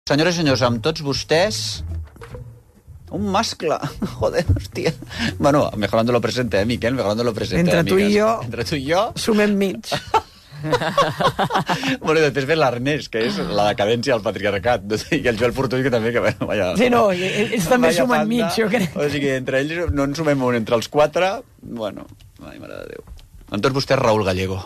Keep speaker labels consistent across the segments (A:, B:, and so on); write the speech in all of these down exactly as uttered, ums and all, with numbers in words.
A: Senyores i senyors, amb tots vostès... Un mascle. Joder, hòstia. Bueno, mejorando lo presente, eh, Miquel? Mejorando lo presente.
B: Entre tu i jo...
A: Entre tu i jo...
B: Sumem mig.
A: Bueno, i després ve l'Ernest, que és la decadència del patriarcat, i el Joel Fortuny, que també... Que, bueno, vaya,
B: sí, no, ells també sumen mig, jo crec.
A: O sigui, entre ells no en sumem un, entre els quatre... Bueno, ai, mare de Déu. Amb tots vostès, Raül Gallego.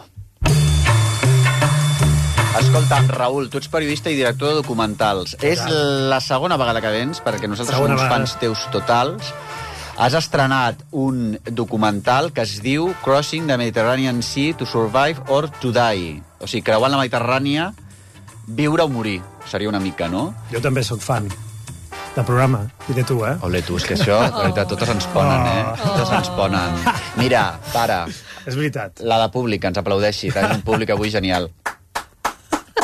A: Escolta'm, Raül, tu ets periodista i director de documentals. És la segona vegada que vens, perquè nosaltres som uns fans teus totals. Has estrenat un documental que es diu Crossing the Mediterranean Sea to Survive or to Die. O sigui, creuant la Mediterrània, viure o morir. Seria una mica, no?
C: Jo també sóc fan del programa, i de tu, eh?
A: Ole, tu, és que això, de veritat, totes ens ponen, eh? Totes ens ponen. Mira, para.
C: És veritat.
A: La de públic, ens aplaudeixi. Tenim un públic avui genial.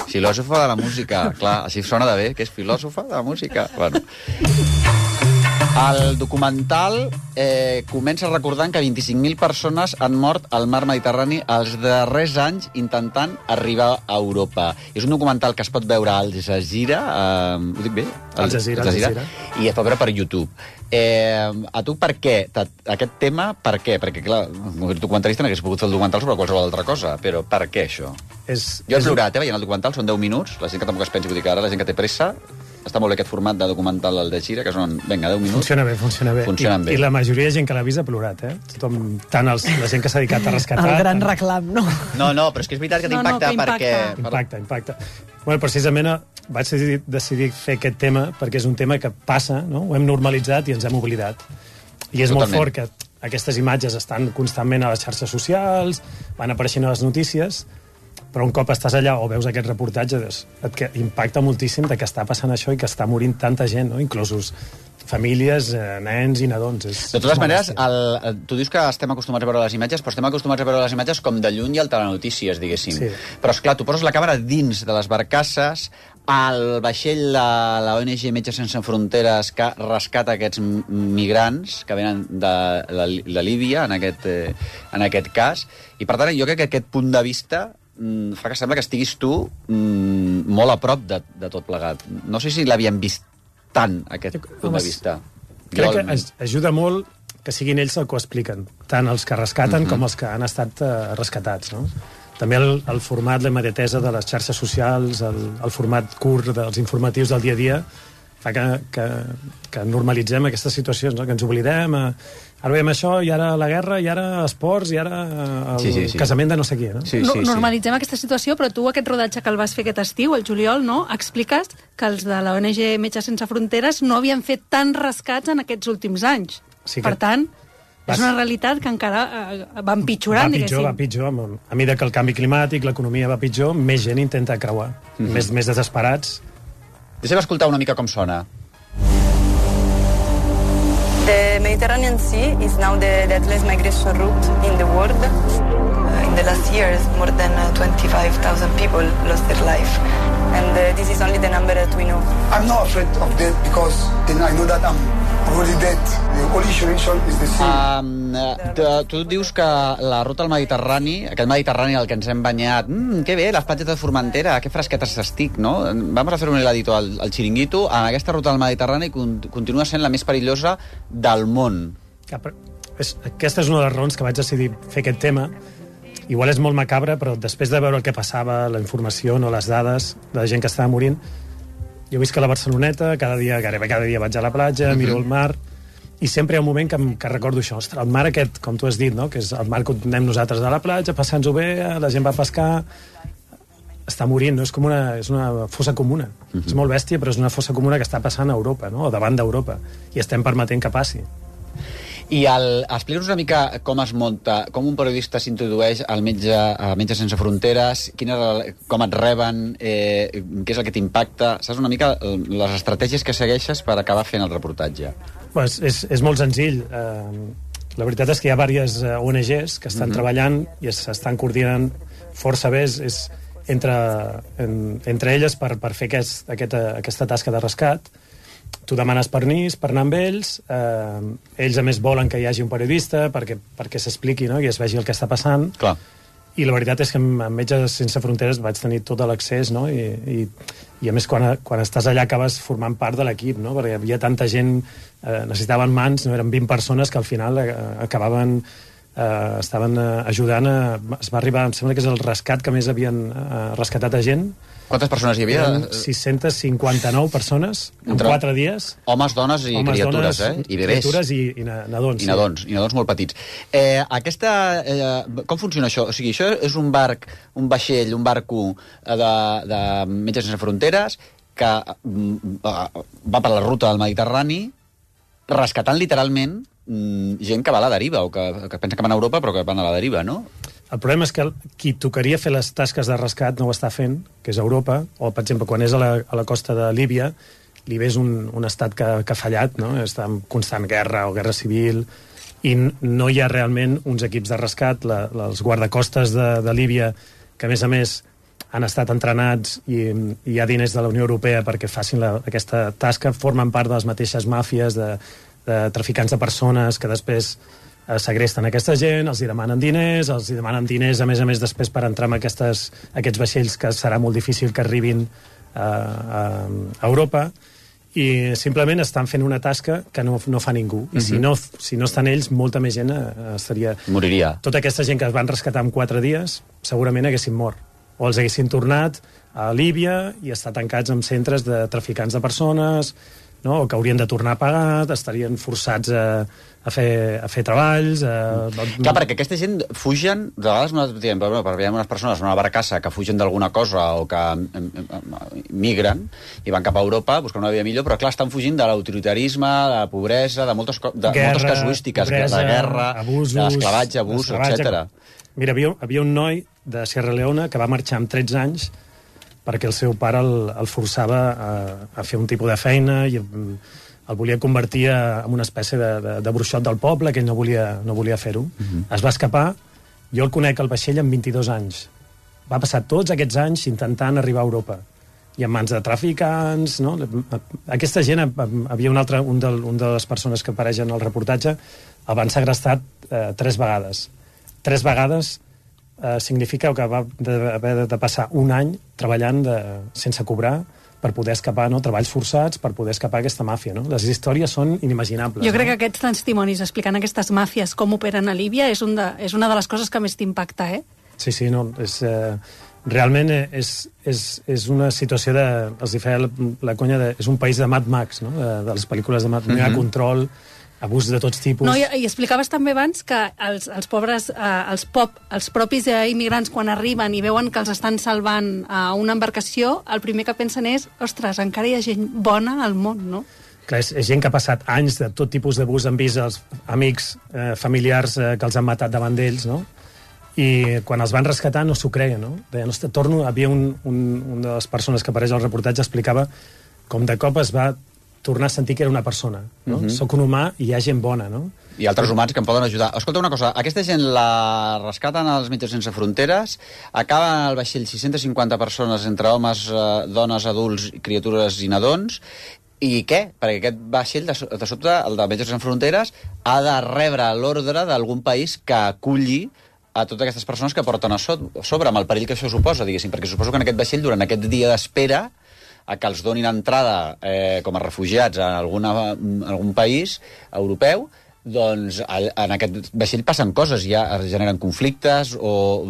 A: Filòsofa de la música. Clar, així sona de bé, que és filòsofa de la música. Bueno. El documental eh, comença recordant que vint-i-cinc mil persones han mort al mar Mediterrani els darrers anys intentant arribar a Europa. És un documental que es pot veure al Jazeera, eh, ho dic bé?
C: Al Jazeera,
A: al Jazeera, i es pot veure per YouTube. Eh, a tu per què? Aquest tema, per què? Perquè, clar, un documentalista no hagués pogut fer el documental sobre qualsevol altra cosa, però per què això?
C: És,
A: jo he
C: és...
A: plorat, eh, veient el documental, són deu minuts, la gent que tampoc es pensi, vull dir que ara la gent que té pressa, està molt bé aquest format de documental al de Gira, que són, vinga, deu minuts.
C: Funciona bé, funciona bé.
A: Funcionen
C: I,
A: bé.
C: I la majoria de gent que l'ha vist ha plorat, eh? Tothom, tant els, la gent que s'ha dedicat a rescatar...
B: El gran reclam, no?
A: No, no, però és que és veritat que t'impacta no, no, perquè...
C: Impacta, impacta. Bueno, precisament vaig decidir, decidir fer aquest tema perquè és un tema que passa, no? Ho hem normalitzat i ens hem oblidat. I és Totalment. Molt fort que aquestes imatges estan constantment a les xarxes socials, van apareixent a les notícies, però un cop estàs allà o veus aquest reportatge, et que impacta moltíssim de que està passant això i que està morint tanta gent, no? Inclosos famílies, eh, nens i nadons. És,
A: de totes maneres, el, tu dius que estem acostumats a veure les imatges, però estem acostumats a veure les imatges com de lluny i al telenotícies, diguéssim. Sí. Però, esclar, tu poses la càmera dins de les barcasses, el vaixell de la O N G Metges Sense Fronteres que rescata aquests migrants que venen de, de, de Líbia, en aquest, eh, en aquest cas. I, per tant, jo crec que aquest punt de vista mm, fa que sembla que estiguis tu mm, molt a prop de, de tot plegat. No sé si l'havíem vist tant, aquest punt de vista.
C: Crec que ajuda molt que siguin ells el que ho expliquen, tant els que rescaten uh-huh. com els que han estat uh, rescatats, no? També el, el format, la immediatesa de les xarxes socials, el, el format curt dels informatius del dia a dia, fa que, que, que normalitzem aquestes situacions, no? Que ens oblidem, eh, ara veiem això, i ara la guerra, i ara esports, i ara el sí, sí, sí. casament de no sé qui. No?
D: Sí, sí, sí. Normalitzem aquesta situació, però tu aquest rodatge que el vas fer aquest estiu, el juliol, no? Expliques que els de la O N G Metges Sense Fronteres no havien fet tants rescats en aquests últims anys. Sí que... Per tant... És una realitat que encara eh, va empitjorant,
C: va pitjor, va pitjor. A mesura que el canvi climàtic, l'economia va pitjor, més gent intenta creuar. Mm-hmm. Més, més desesperats.
A: Deixem escoltar una mica com sona.
E: The Mediterranean Sea is now the deadliest migration route in the world. Uh, in the last years, more than uh, twenty-five thousand people lost their life. And uh, this is only the number that we know.
F: I'm not afraid of death because then I know that I'm already dead. The only solution is the sea.
A: Um, uh, tu dius que la ruta al Mediterrani, aquest Mediterrani al que ens hem banyat, mm, que bé, les platges de Formentera, que fresquetes estic, no? Vamos a fer un heladito al, al Chiringuito. En aquesta ruta al Mediterrani continua sent la més perillosa del món.
C: Ja, és, aquesta és una de les raons que vaig decidir fer aquest tema. Igual és molt macabre, però després de veure el que passava, la informació, no les dades de la gent que estava morint, jo visc a la Barceloneta, cada dia, gairebé cada dia vaig a la platja, uh-huh. miro el mar, i sempre hi ha un moment que, que recordo això. Ostres, el mar aquest, com tu has dit, no? Que és el mar que anem nosaltres a la platja, passant-nos-ho bé, la gent va a pescar, està morint, no? És com una, és una fossa comuna. Uh-huh. És molt bèstia, però és una fossa comuna que està passant a Europa, no? O davant d'Europa, i estem permetent que passi.
A: I el, explica'ns una mica com es munta, com un periodista s'introdueix al metge, a Metges Sense Fronteres, quina, com et reben, eh, què és el que t'impacta, saps una mica les estratègies que segueixes per acabar fent el reportatge?
C: Pues és, és molt senzill. Eh, la veritat és que hi ha diverses O N Gs que estan uh-huh. treballant i s'estan coordinant força bé, és, és entre, en, entre elles per, per fer aquest, aquesta, aquesta tasca de rescat. Tu demanes permís per anar amb ells, eh, ells a més volen que hi hagi un periodista perquè, perquè s'expliqui, no? I es vegi el que està passant.
A: Clar.
C: I la veritat és que amb Metges Sense Fronteres vaig tenir tot l'accés, no? I, i, i a més quan, quan estàs allà acabes formant part de l'equip, no? Perquè hi havia tanta gent, eh, necessitaven mans, no? Eren vint persones que al final eh, acabaven eh, estaven eh, ajudant a, es va arribar, em sembla que és el rescat que més havien eh, rescatat a gent.
A: Quantes persones hi havia?
C: Eren sis-centes cinquanta-nou persones en
A: Entre
C: quatre dies.
A: Homes, dones i
C: Homes,
A: criatures,
C: dones,
A: eh? I bebès.
C: Criatures i, i nadons.
A: I nadons, sí. I nadons molt petits. Eh, aquesta, eh, com funciona això? O sigui, això és un barc, un vaixell, un barco de, de Metges Sense Fronteres que mm, va per la ruta del Mediterrani rescatant literalment mm, gent que va a la deriva o que, que pensa que van a Europa però que van a la deriva, no?
C: El problema és que qui tocaria fer les tasques de rescat no ho està fent, que és Europa, o, per exemple, quan és a la, a la costa de Líbia, Líbia és un, un estat que, que ha fallat, no? Està en constant guerra o guerra civil, i no hi ha realment uns equips de rescat. La, els guardacostes de, de Líbia, que a més a més han estat entrenats i, i hi ha diners de la Unió Europea perquè facin la, aquesta tasca, formen part de les mateixes màfies de, de traficants de persones que després segresten aquesta gent, els hi demanen diners, els hi demanen diners, a més a més, després per entrar en aquestes, aquests vaixells que serà molt difícil que arribin a, a, a Europa, i simplement estan fent una tasca que no, no fa ningú. I uh-huh. si, no, si no estan ells, molta més gent estaria...
A: Moriria.
C: Tota aquesta gent que es van rescatar en quatre dies, segurament haguessin mort. O els haguessin tornat a Líbia i estar tancats en centres de traficants de persones, no? O que haurien de tornar a pagar, estarien forçats a, a, fer, a fer treballs... A...
A: Clar, perquè aquesta gent fugen, de vegades nosaltres diem, però, però hi ha unes persones en una barcassa que fugen d'alguna cosa o que migren i van cap a Europa buscant una vida millor, però clar, estan fugint de l'autoritarisme, de la pobresa, de moltes, de guerra, moltes casuístiques, pobresa, de guerra, abusos, de l'esclavatge, abús, etcètera.
C: Mira, havia, havia un noi de Sierra Leone que va marxar amb tretze anys perquè el seu pare el, el forçava a, a fer un tipus de feina i el volia convertir en una espècie de, de, de bruixot del poble, que ell no volia, no volia fer-ho. Uh-huh. Es va escapar, jo el conec al vaixell amb vint-i-dos anys. Va passar tots aquests anys intentant arribar a Europa. I en mans de traficants, no? Aquesta gent, havia un altre, un de, un de les persones que apareixen al reportatge, el van segrestar eh, tres vegades. Tres vegades eh, significa que va haver de, de passar un any treballant de, sense cobrar per poder escapar, no? Treballs forçats per poder escapar aquesta màfia, no? Les històries són inimaginables.
D: Jo crec
C: no?
D: que aquests testimonis explicant aquestes màfies com operen a Líbia és, un de, és una de les coses que més t'impacta, eh?
C: Sí, sí, no, és... Eh, realment és, és, és una situació de... Els hi feia la, la conya de... És un país de Mad Max, no? De, de les pel·lícules de Mad Max. Mm-hmm. No hi ha control, abús de tots tipus...
D: No, i, i explicaves també abans que els, els pobres, eh, els, pop, els propis eh, immigrants, quan arriben i veuen que els estan salvant a eh, una embarcació, el primer que pensen és, ostres, encara hi ha gent bona al món, no?
C: Clar, és, és gent que ha passat anys de tot tipus d'abús, han vist els amics, eh, familiars eh, que els han matat davant d'ells, no? I quan els van rescatar no s'ho creien, no? Deien, ostres, torno... Havia un, un, una de les persones que apareix al reportatge explicava com de cop es va tornar a sentir que era una persona, no? Uh-huh. Soc un humà i hi ha gent bona, no?
A: I altres humans que em poden ajudar. Escolta una cosa, aquesta gent la rescaten als Metges Sense Fronteres, acaben al vaixell sis-centes cinquanta persones entre homes, eh, dones, adults, criatures i nadons, i què? Perquè aquest vaixell, de, de sobte, el de Metges Sense Fronteres, ha de rebre l'ordre d'algun país que aculli a totes aquestes persones que porten a sobre, amb el perill que això suposa, diguéssim, perquè suposo que en aquest vaixell, durant aquest dia d'espera, a que els donin entrada eh, com a refugiats a alguna, en algun país europeu, doncs en aquest vaixell passen coses, ja es generen conflictes o...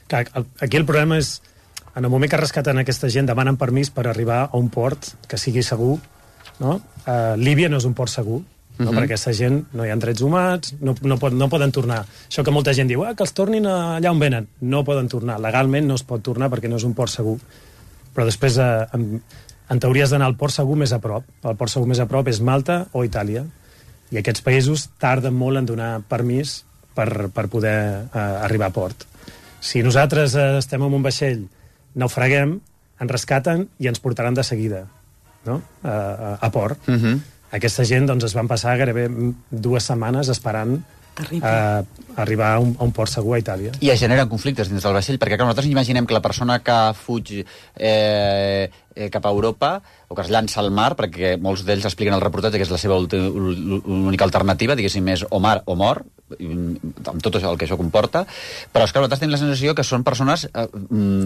C: Clar, aquí el problema és, en el moment que rescaten aquesta gent, demanen permís per arribar a un port que sigui segur, no? Uh, Líbia no és un port segur, no? Uh-huh. Perquè aquesta gent no hi ha drets humans, no, no, pot, no poden tornar. Això que molta gent diu, ah, que els tornin allà on venen. No poden tornar. Legalment no es pot tornar perquè no és un port segur. Però després, eh, en, en teoria, has d'anar al port segur més a prop. El port segur més a prop és Malta o Itàlia. I aquests països tarden molt en donar permís per, per poder eh, arribar a port. Si nosaltres eh, estem en un vaixell, naufraguem, ens rescaten i ens portaran de seguida, no? a, a, a port. Uh-huh. Aquesta gent doncs, es van passar gairebé dues setmanes esperant a arribar a un, a un port segur a Itàlia.
A: I es generen conflictes dins del vaixell, perquè clar, nosaltres imaginem que la persona que fuig eh, eh, cap a Europa o que es llança al mar, perquè molts d'ells expliquen al reportatge que és la seva única alternativa, diguéssim, és o mar o mort, amb tot això, el que això comporta, però és que nosaltres tenim la sensació que són persones eh,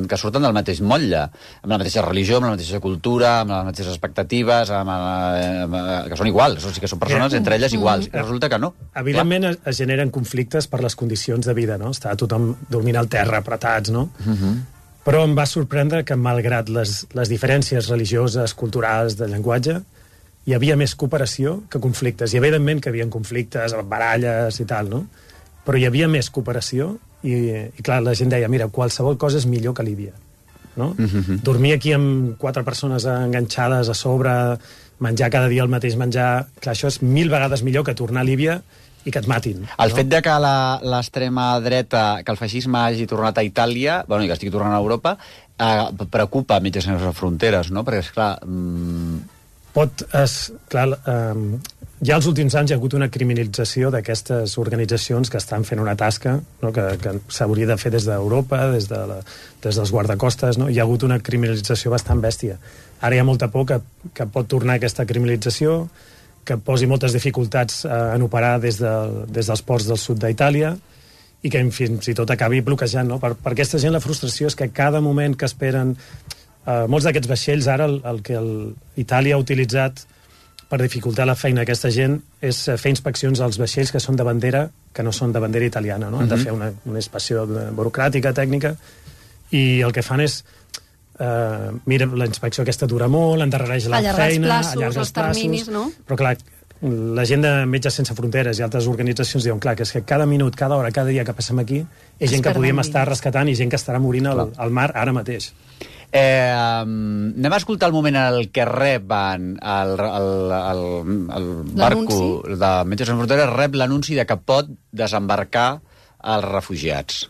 A: que surten del mateix motlle, amb la mateixa religió, amb la mateixa cultura, amb les mateixes expectatives, amb la, amb, que són iguals, o sigui que són persones entre elles iguals, i resulta que no.
C: Evidentment es, es generen conflictes per les condicions de vida, no? Està tothom dormint al terra, apretats, no? Uh-huh. Però em va sorprendre que, malgrat les, les diferències religioses, culturals, de llenguatge, hi havia més cooperació que conflictes. I evidentment que hi havia conflictes, baralles i tal, no? Però hi havia més cooperació i, i clar, la gent deia, mira, qualsevol cosa és millor que Líbia, no? Uh-huh. Dormir aquí amb quatre persones enganxades a sobre, menjar cada dia el mateix menjar, clar, això és mil vegades millor que tornar a Líbia i que et matin.
A: El
C: no?
A: fet de que l'extrema dreta, que el feixisme hagi tornat a Itàlia, bueno, i que estigui tornant a Europa, eh, preocupa Metges Sense Fronteres, no? Perquè, esclar... Mm...
C: Pot, es, clar, eh, ja els últims anys hi ha hagut una criminalització d'aquestes organitzacions que estan fent una tasca, no? que, que s'hauria de fer des d'Europa, des, de la, des dels guardacostes, no? Hi ha hagut una criminalització bastant bèstia. Ara hi ha molta por que, que pot tornar aquesta criminalització, que posi moltes dificultats eh, en operar des, de, des dels ports del sud d'Itàlia i que fins i tot acabi bloquejant, no? Per, per aquesta gent la frustració és que cada moment que esperen... Uh, molts d'aquests vaixells, ara, el, el que el, Itàlia ha utilitzat per dificultar la feina d'aquesta gent és fer inspeccions als vaixells que són de bandera, que no són de bandera italiana, no? Han de fer una, una inspecció burocràtica, tècnica, i el que fan és uh, mira, la inspecció aquesta dura molt, endarrereix la
D: allargar
C: feina,
D: els plaços,
C: allarga els,
D: els terminis, no?
C: Però clar, la gent de Metges Sense Fronteres i altres organitzacions diuen, clar, que és que cada minut, cada hora, cada dia que passem aquí és gent que podíem estar rescatant i gent que estarà morint al, al mar ara mateix.
A: Eh, um, anem a escoltar el moment en el que reben el, el, el, el barco de Metges Sense Fronteres rep l'anunci de que pot desembarcar els refugiats.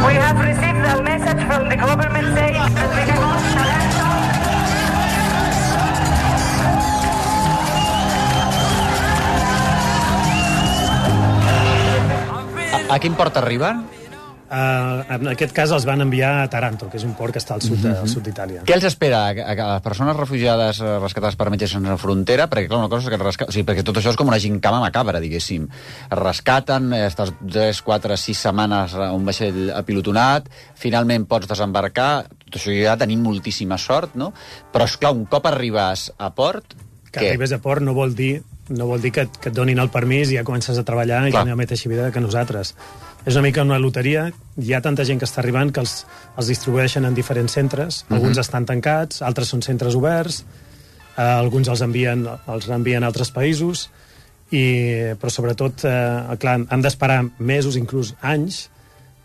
G: We have received a message from the government saying that we can launch
A: a, a quin port arriben?
C: Uh, en aquest cas els van enviar a Taranto, que és un port que està al sud, de, al sud d'Itàlia.
A: Què els espera a, a les persones refugiades rescatades per Metges Sense Frontera? Perquè, clar, una cosa és que resca... o sigui, perquè tot això és com una gincama macabra, diguéssim. Es rescaten, estàs tres, quatre, sis setmanes a un vaixell apilotonat, finalment pots desembarcar, tot això ja tenim moltíssima sort, no? Però, esclar, un cop arribes a port...
C: Que
A: què?
C: arribes a port no vol dir, no vol dir que, que et donin el permís i ja comences a treballar i tenir la mateixa vida que nosaltres. És una mica una loteria, hi ha tanta gent que està arribant que els, els distribueixen en diferents centres, uh-huh. Alguns estan tancats, altres són centres oberts, eh, alguns els envien, els envien a altres països, i, però sobretot, eh, clar, han d'esperar mesos, inclús anys,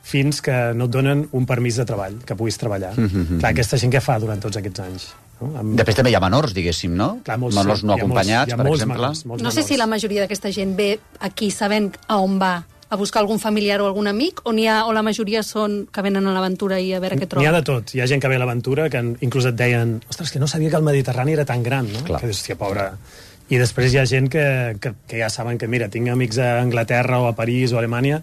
C: fins que no et donen un permís de treball, que puguis treballar. Uh-huh. Clar, aquesta gent què fa durant tots aquests anys? No? Amb...
A: Després també hi ha menors, diguéssim, no?
C: Clar, molts,
A: menors no acompanyats,
C: molts,
A: per exemple.
C: Menors, molts
D: no sé
C: menors.
D: si la majoria d'aquesta gent ve aquí sabent a on va, a buscar algun familiar o algun amic, o, ha, o la majoria són que venen a l'aventura i a veure què troben?
C: N'hi ha de tot. Hi ha gent que ve a l'aventura que inclús et deien, ostres, que no sabia que el Mediterrani era tan gran, no?
A: Clar.
C: Que dius, hòstia, pobra... I després hi ha gent que, que, que ja saben que, mira, tinc amics a Anglaterra o a París o a Alemanya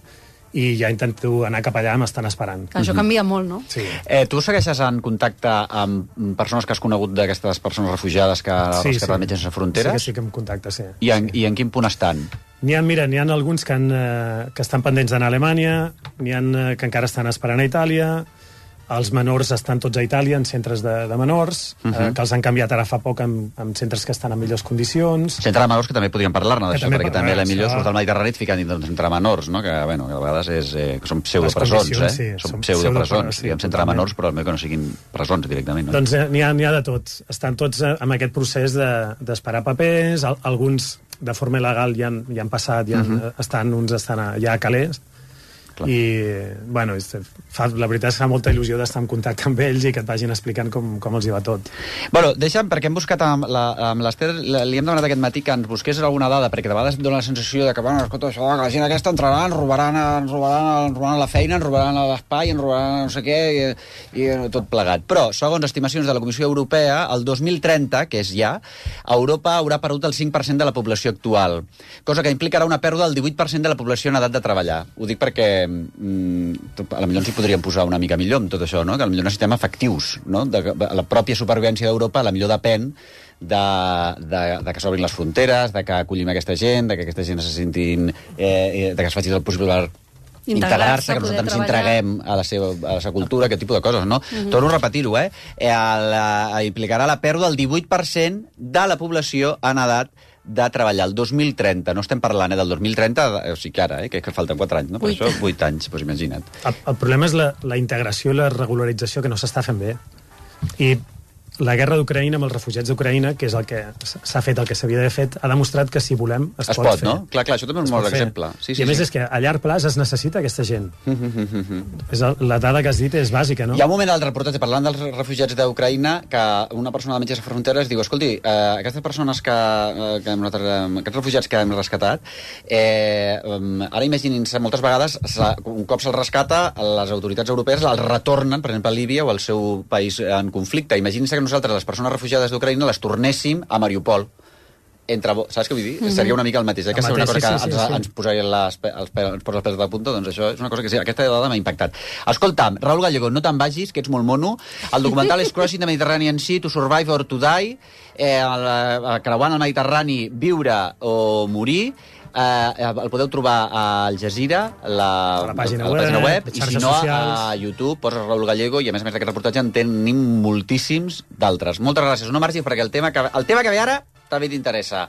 C: i ja intento anar cap allà, m'estan esperant.
D: Això canvia molt, no?
C: Sí.
A: Eh, tu segueixes en contacte amb persones que has conegut d'aquestes persones refugiades que
C: sí,
A: rescaten
C: sí.
A: Metges Sense Fronteres?
C: Sí que sí que em contacte, sí.
A: I en, i en quin punt estan?
C: N'hi ha, mira, n'hi ha alguns que, han, eh, que estan pendents d'anar a Alemanya, n'hi ha eh, que encara estan esperant a Itàlia, els menors estan tots a Itàlia, en centres de, de menors, uh -huh. eh, que els han canviat ara fa poc en, en centres que estan en millors condicions.
A: Centre de menors que també podríem parlar-ne d'això, perquè també la millor
C: això...
A: surt del Mediterrani et fiquen dintre d'un centre de menors, no? Que, bueno, que a vegades és, eh, que són pseudopresons, eh?
C: Sí,
A: són pseudopresons,
C: sí,
A: diguem centre de menors, però que no siguin presons directament. No?
C: Doncs eh, n'hi ha, n'hi ha de tots. Estan tots eh, amb aquest procés d'esperar de, papers, al, alguns de forma il·legal ja han, ja han passat, ja han, uh -huh. estan, uns estan a, ja a Calais, i, bueno, fa, la veritat és que fa molta il·lusió d'estar en contacte amb ells i que et vagin explicant com, com els hi va tot.
A: Bueno, deixa'm, perquè hem buscat amb l'Ester, li hem demanat aquest matí que ens busqués alguna dada, perquè de vegades dona la sensació de que, bueno, escolta, això, que la gent aquesta entrarà, ens robaran, ens robaran, ens robaran la feina, ens robaran l'espai, ens robaran no sé què, i, i tot plegat. Però, segons estimacions de la Comissió Europea, el dos mil trenta, que és ja, Europa haurà perdut el cinc per cent de la població actual, cosa que implicarà una pèrdua del divuit per cent de la població en edat de treballar. Ho dic perquè mm, a la millor ens hi podríem posar una mica millor amb tot això, no? Que a la millor necessitem efectius, no? De, de, la pròpia supervivència d'Europa a la millor depèn de, de, de que s'obrin les fronteres, de que acollim aquesta gent, de que aquesta gent se sentin... Eh, de que es faci el possible per integrar-se, que nosaltres ens entreguem a la, seva, a la seva cultura, aquest tipus de coses, no? Uh-huh. Torno a repetir-ho, eh? El, eh? Implicarà la pèrdua del divuit per cent de la població en edat de treballar el dos mil trenta. No estem parlant eh, del dos mil trenta, o sigui que ara, eh, que, que falten quatre anys, no? Per això, vuit anys, doncs imagina't.
C: El, el problema és la, la integració i la regularització que no s'està fent bé. I la guerra d'Ucraïna amb els refugiats d'Ucraïna, que és el que s'ha fet, el que s'havia d'haver fet, ha demostrat que si volem es,
A: es
C: pot,
A: pot
C: fer.
A: No? Clar, clar, això també és un bon exemple. Sí, sí,
C: I a més
A: sí.
C: és que a llarg plaç es necessita aquesta gent. és el, la dada que has dit és bàsica, no?
A: Hi ha un moment al reportatge parlant dels refugiats d'Ucraïna que una persona de Metges Sense Fronteres diu, escolti, eh, aquestes persones que, eh, que hem, aquests refugiats que hem rescatat, eh, ara imaginin-se moltes vegades, un cop se'ls rescata, les autoritats europees els retornen, per exemple, a Líbia o al seu país en conflicte. Imaginin-se que nosaltres, les persones refugiades d'Ucraïna, les tornéssim a Mariupol. Entre, saps què vull dir? Mm-hmm. Seria una mica el mateix. Eh? Que seria una cosa que sí, sí, ens, sí. ens posaria les, els, els, els pèls de punta, doncs això és una cosa que sí, aquesta dada m'ha impactat. Escolta'm, Raúl Gallego, no te'n vagis, que ets molt mono. El documental és Crossing the Mediterranean Sea to Survive or to Die, eh, el, el, creuant el Mediterrani, viure o morir. Eh, el podeu trobar a Al Jazeera, la,
C: a la pàgina,
A: a la pàgina web, web i si no
C: socials.
A: A YouTube poses Raúl Gallego i a més a més d'aquest reportatge en tenim moltíssims d'altres. Moltes gràcies, no marxis perquè el tema que, el tema que ve ara també t'interessa.